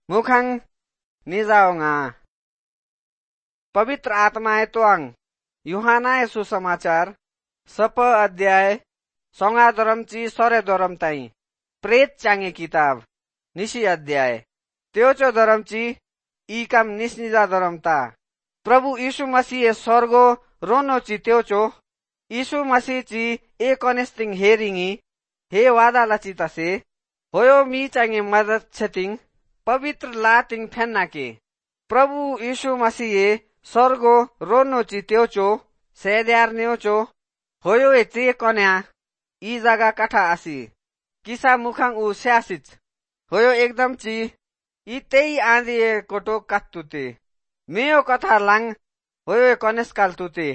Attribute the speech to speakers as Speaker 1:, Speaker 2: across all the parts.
Speaker 1: मुखंग निजाओंगा। पवित्र आत्माए तोंग यूहन्ना सुसमाचार सप अध्याय संगा दरम ची सरे दरम ताई प्रेत चांगे किताब निशी अध्याय त्योचो दरम ची ई काम निस्निजा दरम ता। प्रभु यीशु मसीह स्वर्गो रोनो ची त्योचो यीशु मसीह ची ए कनेस्तिंग हेरिंगी हे वादा लची तसे होयो मी चांगे मदद छतिंग पवित्र लातिंग फेन्नाके। प्रभु यीशु मसीह स्वर्गो रोनो ची त्योचो सेद्यार न्योचो होयो ए चे कन्या ई जगा कठा आसी किसा मुखंग उ स्यासिच होयो एकदम ची ई तेई आंधी कोटो कात्तुते मेयो कथा लांग होयो कनेस काल तुते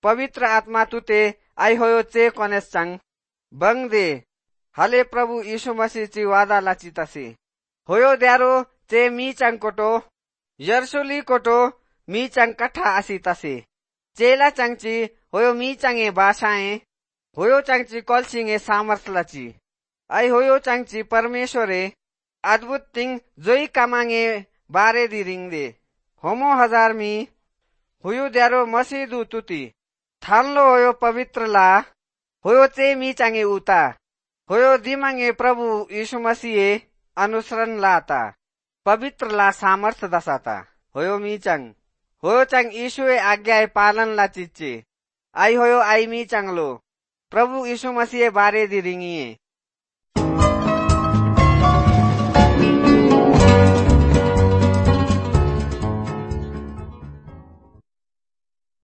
Speaker 1: पवित्र आत्मा तुते आई होयो चे कनेस चांग बंग दे हाले प्रभु यीशु मसीह ची वादा लाची तसे होयो द्यारो चे मी चांग कोटो यर्सुली कोटो मी चांग कठा आसी तसे चेला चांगची होयो मी चांगे बासाए होयो चांगची कलसिंगे सामर्थ लाची आई होयो चांगची परमेश्वरे अद्भुत तिंग जोई कामांगे बारे दी रिंग दे होमो हजार मी हुयु द्यारो मसीह दु तुती थानलो होयो पवित्र ला होयो चे मी चांगे उता होयो दिमांगे प्रभु यीशु मसीह अनुसरण लाता पवित्र ला सामर्थ दसाता होयो मी चांग होयो चांग यीशुए आज्ञा पालन ला चिच्चे आई होयो आई मी चांगलो प्रभु यीशु मसीह बारे दी रिंगिए।